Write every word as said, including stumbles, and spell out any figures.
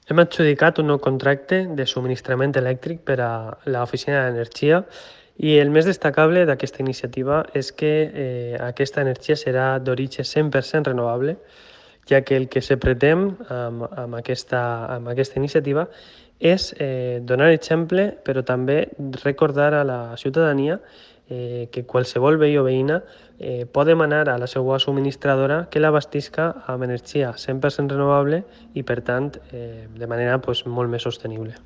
Hem adjudicat un nou contracte de subministrament elèctric per a l'Oficina d'Energia i el més destacable d'aquesta iniciativa és que eh, aquesta energia serà d'origen cent per cent renovable, ja que el que se pretén amb, amb, aquesta, amb aquesta iniciativa és eh, donar exemple, però també recordar a la ciutadania eh, que qualsevol veí o veïna eh, pot demanar a la seva subministradora que l'abastisca amb energia cent per cent renovable i, per tant, eh, de manera pues, molt més sostenible.